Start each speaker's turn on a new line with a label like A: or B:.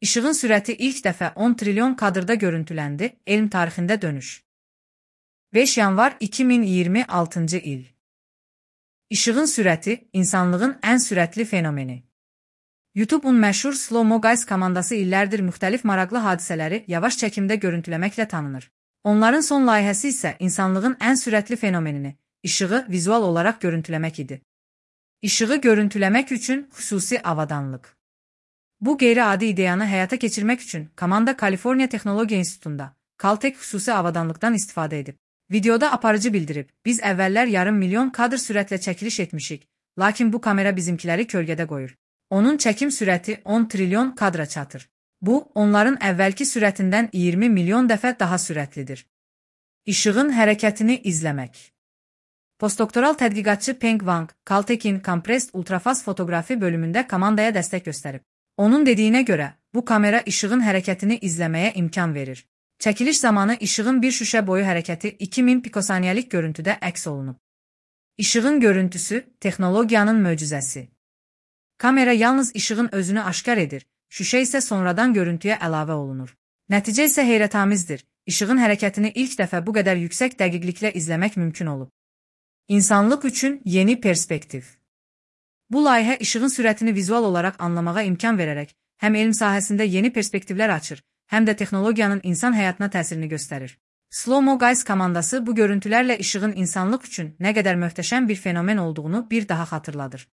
A: İşığın sürəti ilk dəfə 10 trilyon kadrda görüntüləndi, elm tarixində dönüş. 5 yanvar 2026 il. İşığın sürəti, insanlığın ən sürətli fenomeni. YouTube-un məşhur Slow Mo Guys komandası illərdir müxtəlif maraqlı hadisələri yavaş çəkimdə görüntüləməklə tanınır. Onların son layihəsi isə insanlığın ən sürətli fenomenini, işığı vizual olaraq görüntüləmək idi. İşığı görüntüləmək üçün xüsusi avadanlıq. Bu qeyri-adi ideyanı həyata keçirmək üçün komanda Kaliforniya Texnologiya İnstitutunda Caltech xüsusi avadanlıqdan istifadə edib. Videoda aparıcı bildirib, biz əvvəllər yarım milyon kadr sürətlə çəkiliş etmişik, lakin bu kamera bizimkiləri kölgədə qoyur. Onun çəkim sürəti 10 trilyon kadra çatır. Bu, onların əvvəlki sürətindən 20 milyon dəfə daha sürətlidir. İşığın hərəkətini izləmək. Postdoktoral tədqiqatçı Peng Wang, Caltech'in Compressed Ultrafast Fotografi bölümündə komandaya dəstək göstərib. Onun dediyinə görə, bu kamera işığın hərəkətini izləməyə imkan verir. Çəkiliş zamanı işığın bir şüşə boyu hərəkəti 2000 pikosaniyəlik görüntüdə əks olunub. İşığın görüntüsü, texnologiyanın möcüzəsi. Kamera yalnız işığın özünü aşkar edir, şüşə isə sonradan görüntüyə əlavə olunur. Nəticə isə heyrətamizdir. İşığın hərəkətini ilk dəfə bu qədər yüksək dəqiqliklə izləmək mümkün olub. İnsanlıq üçün yeni perspektiv. Bu layihə işığın sürətini vizual olaraq anlamağa imkan verərək, həm elm sahəsində yeni perspektivlər açır, həm də texnologiyanın insan həyatına təsirini göstərir. Slow Mo Guys komandası bu görüntülərlə işığın insanlıq üçün nə qədər möhtəşəm bir fenomen olduğunu bir daha xatırladır.